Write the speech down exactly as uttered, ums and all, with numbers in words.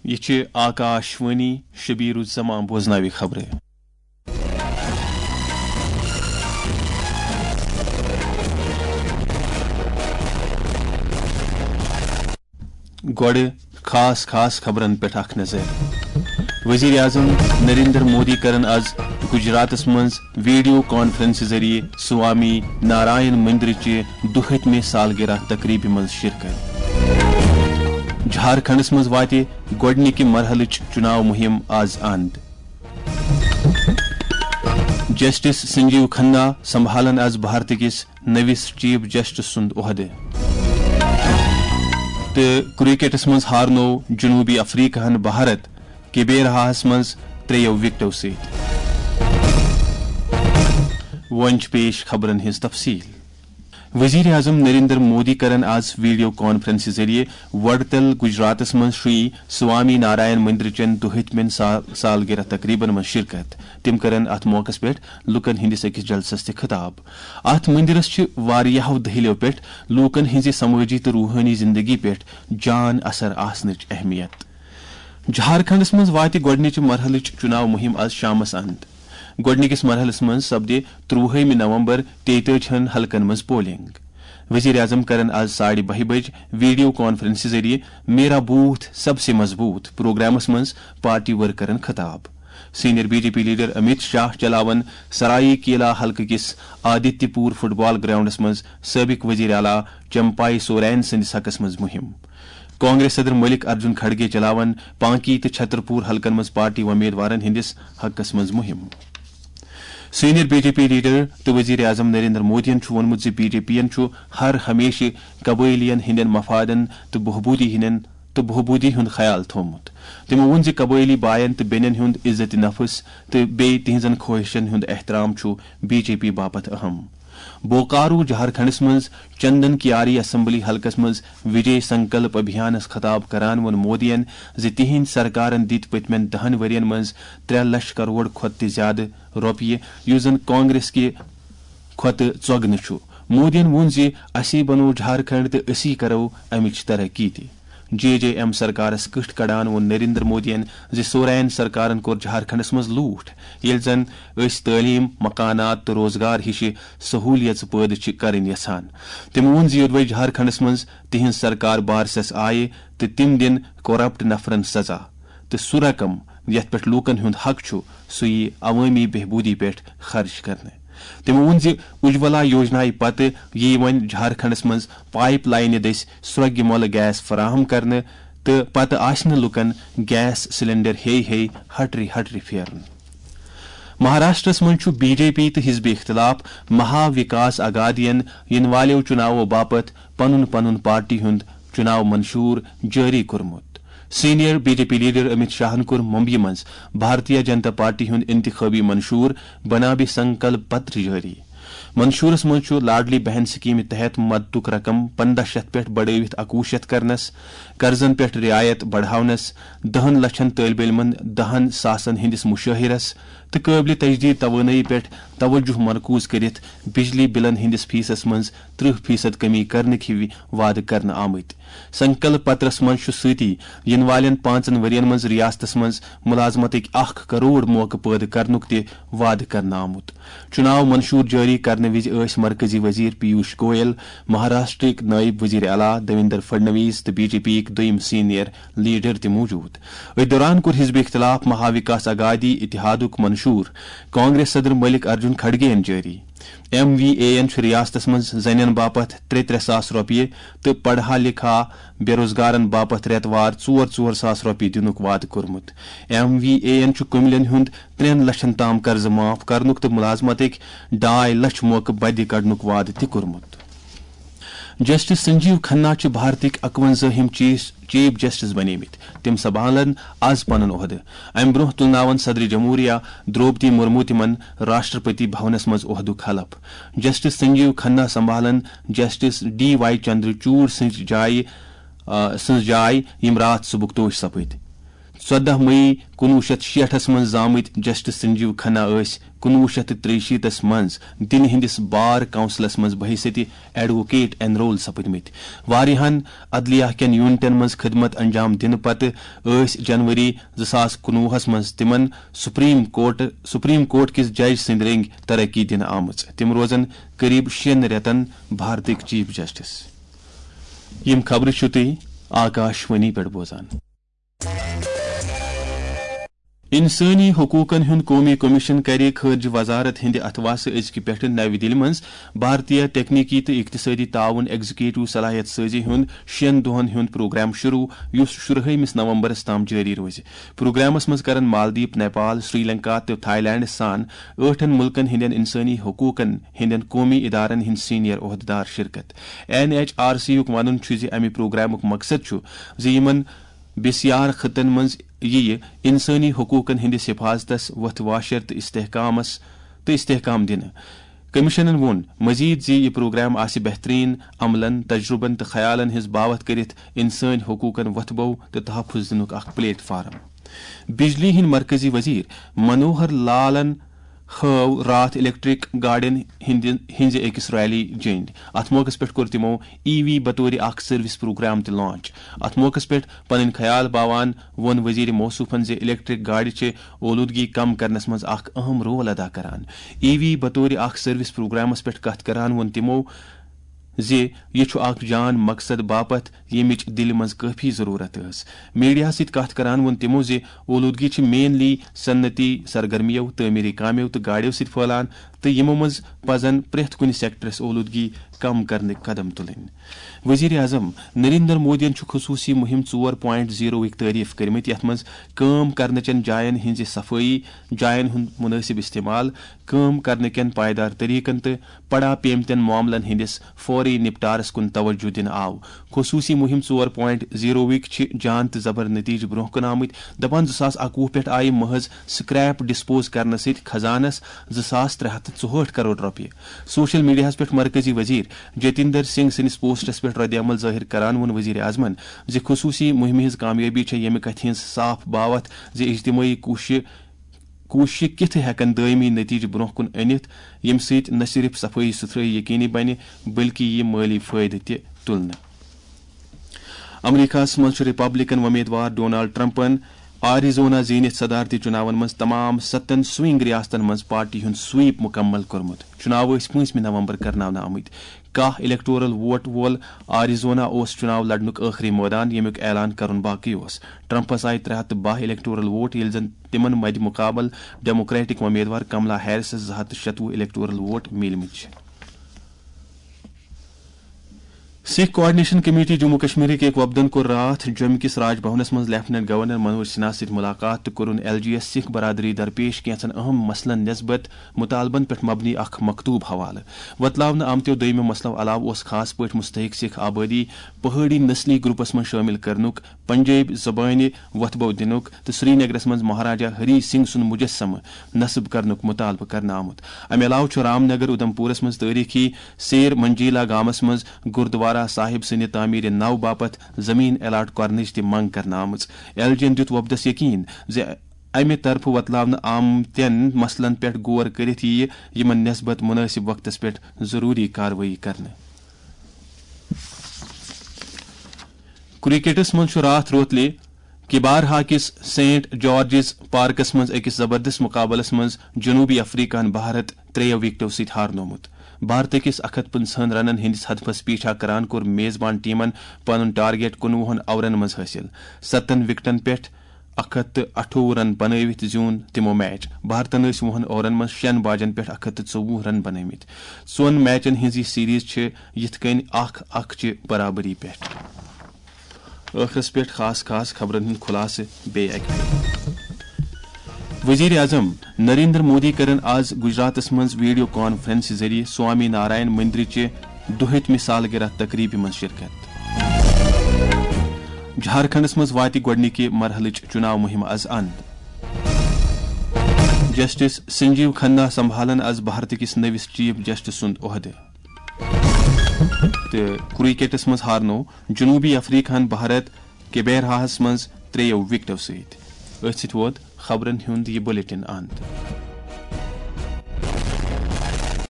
یہِ چھِ آکاش وانی، شبیر الزمان بوزناوِ خبرٕ۔ گۄڈٕ خاص خاص خبرن پٮ۪ٹھ اکھ نظر۔ وزیر اعظم نریندر مودی کرن آز گجراتس منٛز ویڈیو کانفرنس ذٔریعہٕ سوامی نارائن مندرٕچہِ دُہٲتمہِ سالگرہ تقریبہِ منٛز شرکت۔ جھارکھنڈس منٛز واتہِ گۄڈٕنِکہِ مرحلٕچ چُناو مُہِم آز اند۔ جسٹس سنجیو کھنہ سنبھالن آز بھارت کِس نٔوِس چیف جسٹس سُنٛد عہدٕ۔ تہٕ کرکٹس منٛز ہارنوو جنوبی افریقہن بھارت کیبیرہاہس منٛز ترٛیٚیو وکٹو سۭتۍ۔ وۄنۍ چھِ پیش خبرن ہٕنٛز تفصیل۔ وزیر اعظم نریندر مودی کرن آز ویڈیو کانفرنس ذٔریعہٕ وڈتل گجراتس منٛز شری سوامی نارائن مندرٕچن دُہٲتمٮ۪ن سا-، سالگرہ تقریبن منٛز شرکت۔ تِم کرن اتھ موقعس پٮ۪ٹھ لوٗکن ہٕنٛدِس أکِس جلسس تہِ خطاب۔ اتھ مندرس چھِ واریاہو دٔہلِیو پٮ۪ٹھ لوٗکن ہٕنٛزِ سمٲجی تہٕ روحٲنی زندگی پٮ۪ٹھ جان اثر آسنٕچ اہمیت۔ جھارکھنڈس منٛز واتہِ گۄڈٕنِچہِ مرحلٕچ چُناو مُہِم آز شامس اند۔ گۄڈٕنِکِس مرحلس منٛز سپدِ ترٛوُہمہِ نومبر تیتٲجِہن حلقن منٛز پولنگ۔ وزیر اعظم کرن آز ساڑِ بَہہِ بجہِ ویڈیو کانفرنسہِ ذٔریعہٕ میرا بوتھ سب سے مضبوط پروگرامس منٛز پارٹی ورکرن خطاب۔ Senior B J P leader Amit Shah چلاون سرائی کیلا حلقہٕ کِس آدتیہ پور فٹ بال گراؤنڈس منٛز سٲبق وزیر اعلیٰ چمپائی سورین سٕنٛدِس حقس منٛز مُہِم۔ کانگریس صدر ملک ارجن کھڑگے چلاون پانکی تہٕ چھترپور حلقن منٛز پارٹی وۄمیدوارن ہٕنٛدِس حقس منٛز مُہِم۔ Senior B J P leader تہٕ وزیر اعظم نریندر مودیَن چھُ ووٚنمُت زِ بی جے پی یَن چھُ ہر ہمیشہٕ قبٲئلیَن ہٕنٛدٮ۪ن مفادن تہٕ بہبوٗدی ہٕنٛدٮ۪ن تہٕ بہبوٗدی ہُنٛد خیال تھوٚومُت۔ تٔمۍ ووٚن زِ قبٲئلی باین تہٕ بیٚنٮ۪ن ہُنٛد عزت نفس تہٕ بیٚیہِ تِہنٛزن خواہشن ہُنٛد احترام چھُ بی جے پی باپتھ اہم۔ بوکارو جھارکھنڈس منٛز چندن کیاری اسمبلی حلقس منٛز وجے سنکلپ ابھیانس خطاب کران ووٚن مودیَن زِ تِہنٛدۍ سرکارن دِتۍ پٔتمٮ۪ن دَہن ؤرین منٛز ترٛےٚ لچھ کرور کھۄتہٕ تہِ زیادٕ رۄپیہِ، یُس زن کانگریس کہِ کھۄتہٕ ژۄگنہٕ چھُ۔ مودیَن ووٚن زِ اسی بنوو جھارکھنڈ تہٕ اسی کرو امِچ ترقی تہِ۔ جے جے ایم سرکارس کٕٹھ کڑان ووٚن نریندر مودیَن زِ سورین سرکارن کوٚر جھارکھنڈس منٛز لوٗٹھ، ییٚلہِ زن أسۍ تعلیٖم، مکانات تہٕ روزگار ہِشہِ سہوٗلیژٕ پٲدٕ چھِ کرٕنۍ یژھان۔ تٔمۍ ووٚن زِ یوٚدوے جھارکھنڈس منٛز تِہنٛز سرکار بارسس آیہِ تہٕ تِم دِن کرپٹ نفرن سزا، تہٕ سُہ رقم یتھ پٮ۪ٹھ لوٗکن ہُنٛد حق چھُ، سُہ یِیہِ عوٲمی بہبوٗدی پٮ۪ٹھ خرٕچ کرنہٕ۔ تٔمۍ ووٚن زِ اجولا یوجنایہِ پتہٕ یِیہِ وۄنۍ جھارکھنڈس منٛز پایپ لاینہِ دٔسۍ سرٛۄگہِ مۄلہٕ گیس فراہم کرنہٕ تہٕ پتہٕ آسہِ نہٕ لوٗکن گیس سلنڈر ہیٚے ہیٚے ہٹرِ ہٹرِ پھیرُن۔ مہاراشٹرس منٛز چھُ بی جے پی تہٕ حزب اختلاف مہا وکاس اگادین یِنہٕ والٮ۪و چُناوو باپتھ پنُن پنُن پارٹی ہُنٛد چُناو منشور جٲری کوٚرمُت۔ Senior B J P leader Amit شاہن کوٚر ممبیہِ منٛز بھارتیہ جنتا پارٹی ہُنٛد انتخابی منشور بنابِ سنکلپ پتر جٲری۔ منشورس منٛز چھُ لاڈلی بہن سکیمہِ تحت مددُک رقم پنٛداہ شیٚتھ پٮ۪ٹھ بڑٲوِتھ اکوُہ شیٚتھ کرنس، قرضن پٮ۪ٹھ رعایت بڑاونس، دَہن لچھن طٲلبہِ علمن دَہن ساسن ہٕنٛدِس مُشٲہِرس تہٕ قٲبلِ تجدید توانٲیی پٮ۪ٹھ توجہ مرکوز کٔرِتھ بجلی بلن ہٕنٛدِس فیسس منٛز ترٕہ فیصد کمی کرنٕکۍ ہِوۍ وعدٕ کرنہٕ آمٕتۍ۔ سنکلپ پترس منٛز چھُ سۭتی یِنہٕ والٮ۪ن پانٛژن ؤرین منٛز ریاستس منٛز ملازمتٕکۍ اکھ کرور موقعہٕ پٲدٕ کرنُک تہِ وعدٕ کرنہٕ آمُت۔ چُناو منشور جٲری کرنہٕ وِزِ ٲسۍ مرکزی وزیر پیوش گویل، مہاراشٹرٕکۍ نٲیِب وزیر اعلیٰ دیویندر فڈنویس تہٕ بی جے پی یِکۍ دوٚیِم سینئر لیڈر تہِ موجود۔ أتھۍ دوران کوٚر حزب اختلاف مہا وکاس اگادی اتحادُک منشور کانگریس صدر ملک ارجن کھڑگے یَن جٲری۔ ایم وی اے یَن چھُ ریاستس منٛز زنٮ۪ن باپتھ ترٛےٚ ترٛےٚ ساس رۄپیہِ تہٕ پڑھا لکھا بے روزگارن باپتھ رٮ۪تہٕ وار ژور ژور ساس رۄپیہِ دِنُک وعدٕ کوٚرمُت۔ ایم وی اے یَن چھُ کُملٮ۪ن ہُنٛد ترٛٮ۪ن لچھن تام قرضہٕ معاف کرنُک تہٕ ملازمتٕکۍ ڈاے لچھ موقعہٕ بدِ کڑنُک وعدٕ تہِ کوٚرمُت۔ جسٹس سنجیو کھنہ چھِ بھارتٕکۍ اکوَنزٲہِم چیف، چیف جسٹس بنیمٕتۍ۔ تِم سنبھالن آز پنُن عہدٕ۔ امہِ برونٛہہ تُلناون صدر جمہوریہ درٛوپدی مرمو تِمن راشٹرپتی بھونس منٛز عہدُک حلف۔ جسٹس سنجیو کھنہ سنبھالن جسٹس ڈی وائی چندرچوڑ سٕنٛز جایہِ، آ، سٕنٛز جاے، یِم راتھ صبحُک توش سپٕدۍ۔ ژۄدہ مئی کُنوُہ شیٚتھ شیٹھس منٛز زامٕتۍ جسٹس سنجیو کھنہ ٲسۍ کُنوُہ شیٚتھ تہٕ ترٛیہِ شیٖتس منٛز دِلہِ ہٕنٛدِس بار کونسلس منٛز بحیثیت ایڈووکیٹ انرول سپٕدمٕتۍ۔ واریاہن عدلیہ کٮ۪ن یونٹن منٛز خدمت انجام دِنہٕ پتہٕ ٲسۍ جنوری زٕ ساس کُنوُہس منٛز تِمن سپریم کورٹ، سپریم کورٹ کِس جج سٕنٛدِ رٔنگۍ ترقی دِنہٕ آمٕژ۔ تِم روزن قریب شٮ۪ن رٮ۪تن بھارتٕکۍ چیف جسٹس۔ یِم خبرٕ چھِو تُہۍ آکاشوانی پٮ۪ٹھ بوزان۔ انسٲنی حقوقن ہُنٛد قومی کمیشن کرِ خارجہ وزارت ہٕنٛدِ اتھواسہٕ أزکہِ پٮ۪ٹھٕ نَوِ دِلہِ منٛز بھارتیہ تکنیکی تہٕ اقتصٲدی تعاون ایگزیکٹو صلاحیت سازی ہُنٛد شٮ۪ن دۄہن ہُنٛد پروگرام شروع، یُس شُرہٲیمِس نومبرس تام جٲری روزِ۔ پروگرامس منٛز کرن مالدیپ، نیپال، سری لنکا تہٕ تھائی لینڈس سان ٲٹھن ملکن ہٕنٛدٮ۪ن انسٲنی حقوقن ہٕنٛدٮ۪ن قومی ادارن ہٕنٛدۍ سینئر عہدٕدار شرکت۔ این ایچ آر سی یُک ونُن چھُ زِ امہِ پروگرامُک مقصد چھُ زِ یِمن بسیار خطن منٛز یِیہِ انسٲنی حقوقن ہٕنٛدِس حفاظتس وۄتھٕ واشر تہٕ استحکامس، تہٕ استحکام دِنہٕ۔ کمیشنن ووٚن مزید زِ یہِ پروگرام آسہِ بہترین عملن، تجربن تہٕ خیالن ہٕنٛز باوتھ کٔرِتھ انسٲنی حقوقن وۄتھٕ بو تہٕ تحفظ دِنُک اکھ پلیٹ فارم۔ بجلی ہٕنٛدۍ مرکزی وزیر منوہر لالن ہٲو راتھ الیکٹرک گاڑین ہٕنٛدِ، ہٕنٛزِ أکِس ریلی جٔنڈۍ۔ اتھ موقعس پٮ۪ٹھ کوٚر تِمو ای وی بطور اکھ سروس پروگرام تہِ لانچ۔ اتھ موقعس پٮ۪ٹھ پنٕنۍ خیال باوان ووٚن وزیر موصوفن زِ الیکٹرک گاڑِ چھِ اولودگی کم کرنس منٛز اکھ اہم رول ادا کران۔ ای وی بطور اکھ سروس پروگرامس پٮ۪ٹھ کتھ کران ووٚن تِمو زِ یہِ چھُ اکھ جان مقصد باپتھ ییٚمِچ دِلہِ منٛز کٲفی ضروٗرت ٲس۔ میڈیاہَس سۭتۍ کتھ کران ووٚن تِمو زِ اولودگی چھِ مینلی صنعتی سرگرمیو، تعمیری کامیو تہٕ گاڑیو سۭتۍ پھٔہلان، تہٕ یِمو منٛز پزن پرٛٮ۪تھ کُنہِ سیکٹرس اولودگی کم کرنٕکۍ قدم تُلٕنۍ۔ وزیر اعظم نریندر مودیَن چھُ خصوٗصی مُہِم ژور پوینٹ زیٖروٕکۍ تعریف کٔرمٕتۍ، یَتھ منٛز کٲم کرنہٕ چٮ۪ن جاین ہٕنٛزِ صفٲیی، جاین ہُنٛد مُنٲسِب استعمال، کٲم کرنہٕ کٮ۪ن پائیدار طریقن تہٕ پڑا پیمتٮ۪ن معاملن ہٕنٛدِس فوری نپٹارس کُن توجہ دِنہٕ آو۔ خصوٗصی مُہِم ژور پوینٹ زیٖروٕکۍ چھِ جان تہٕ زبر نتیجہٕ برونٛہہ کُن آمٕتۍ۔ دپان زٕ ساس اکوُہ پٮ۪ٹھ آیہِ محض سکریپ ڈسپوز کرنہٕ سۭتۍ خزانس زٕ ساس ترٛےٚ ہتھ تہٕ ژُہٲٹھ کرور رۄپیہِ۔ سوشل میڈیاہَس پٮ۪ٹھ مرکزی وزیر جتیندر سنگھ سٕنٛدِس پوسٹَس پٮ۪ٹھ رد عمل ظٲہِر کران ووٚن وزیر اعظمَن زِ خصوٗصی مُہِمہِ ہٕنٛز کامیٲبی چھےٚ ییٚمہِ کتھِ ہٕنٛز صاف باوتھ زِ اجتمٲعی کوٗششہِ، کوٗششہِ کِتھٕ ہٮ۪کن دٲیمی نتیجہٕ برونٛہہ کُن أنِتھ، ییٚمہِ سۭتۍ نہ صرف صفٲیی سُتھرٲیی یقینی بنہِ، بلکہِ یِیہِ مٲلی فٲیدٕ تہِ تُلنہٕ۔ امریکہس منٛز چھُ ریپبلکن وۄمیدوار ڈونالڈ ٹرمپن آریزونا زیٖنِتھ صدارتی چُناون منٛز تمام ستن سوئنگ ریاستن منٛز پارٹی ہُنٛد سویپ مُکمل کوٚرمُت۔ چُناو ٲسۍ پٲنٛژمہِ نومبر کرناونہٕ آمٕتۍ۔ کاہ الیکٹورل ووٹ وول آریزونا اوس چُناو لڑنُک ٲخری مٲدان، ییٚمیُک اعلان کرُن باقٕے اوس۔ ٹرمپس آیہِ ترٛےٚ ہتھ تہٕ باہ الیکٹورل ووٹ، ییٚلہِ زن تِمن مدِ مقابل ڈیموکریٹک وۄمیدوار کملا ہیرسس زٕ ہتھ تہٕ شتوُہ الیکٹورل ووٹ میٖلمٕتۍ چھِ۔ سکھ کوآرڈینیشن کمیٹی جموں کشمیرٕکۍ أکۍ وفدن کوٚر راتھ جوٚمہِ کِس راج بھونس منٛز لیفٹیننٹ گورنر منوج سنہاہس سۭتۍ ملاقات تہٕ کوٚرُن ایل جی یس سکھ برادری درپیش کینٛژن اہم مسلن نسبت مطالبن پٮ۪ٹھ مبنی اکھ مکتوب حوالہٕ۔ وۄتلاونہٕ آمتیو دوٚیمہِ مسلو علاوٕ اوس خاص پٲٹھۍ مستحق سکھ آبٲدی پہٲڑی نسلی گروپس منٛز شٲمِل کرنُک، پنجٲبۍ زبٲنہِ وۄتھٕ بو دِنُک تہٕ سرینگرس منٛز مہاراجا ہری سنگھ سُنٛد مجسمہٕ نصب کرنُک مطالبہٕ کرنہٕ آمُت۔ امہِ علاوٕ چھُ رام نگر اُدھمپورس منٛز تٲریخی سیر منجیلا گامس منٛز گردوارہ صاحب سٕنٛدِ تعمیٖرِ نو باپتھ زٔمیٖن الاٹ کرنٕچ تہِ منٛگ کرنہٕ آمٕژ۔ ایل جی ین دیُت وۄپدس یقین زِ امہِ طرفہٕ وۄتلاونہٕ آمتٮ۪ن مسلن پٮ۪ٹھ غور کٔرِتھ یِیہِ یِمن نسبت مُنٲسِب وقتس پٮ۪ٹھ ضروٗری کاروٲیی کرنہٕ۔ کرکٹس منٛز چھُ راتھ روتلہِ کبارہا کِس سینٹ جارجز پارکس منٛز أکِس زبردست مقابلس منٛز جنوبی افریقہن بھارت ترٛیٚیو وکٹو سۭتۍ ہارنوومُت۔ بھارتہٕ کِس اکھ ہتھ پٕنٛژٕہن رنن ہٕنٛدِس ہدفس پیٹھا کران کوٚر میزبان ٹیمن پنُن ٹارگیٹ کُنوُہن اورن منٛز حٲصِل۔ ستن وکٹن پٮ۪ٹھ اکھ ہتھ تہٕ اَٹھووُہ رن بنٲوِتھ زیوٗن تِمو میچ۔ بھارتن ٲسۍ وُہن اورن منٛز شٮ۪ن باجن پٮ۪ٹھ اکھ ہتھ تہٕ ژوٚوُہ رن بنٲومٕتۍ۔ ژۄن میچن ہٕنٛز یہِ سیریز چھِ یِتھ کٔنۍ اکھ اکھ چہِ برابری پٮ۪ٹھ۔ ٲخرس پٮ۪ٹھ خاص خاص خبرن ہُنٛد خلاصہٕ بیٚیہِ اکہِ پھِرِ۔ وزیر اعظم نریندر مودی کرن آز گجراتس منٛز ویڈیو کانفرنس ذٔریعہٕ سوامی نارائن مندرٕچہِ دُہٲٹھمہِ سالگرہ تقریبہِ منٛز شرکت۔ جھارکھنڈس منٛز واتہِ گۄڈٕنِکہِ مرحلٕچ چُناو مُہِم از اند۔ جسٹس سنجیو کھنہ سنبھالن از بھارت کِس نٔوِس چیف جسٹس سُنٛد عہدٕ۔ تہٕ کرکٹس منٛز ہارنوو جنوبی افریقہن بھارت کیبیرہاہس منٛز ترٛیٚیو وکٹو سۭتۍ۔ أتھۍ سۭتۍ ووت خبرن ہُنٛد یہِ بلیٹن اند۔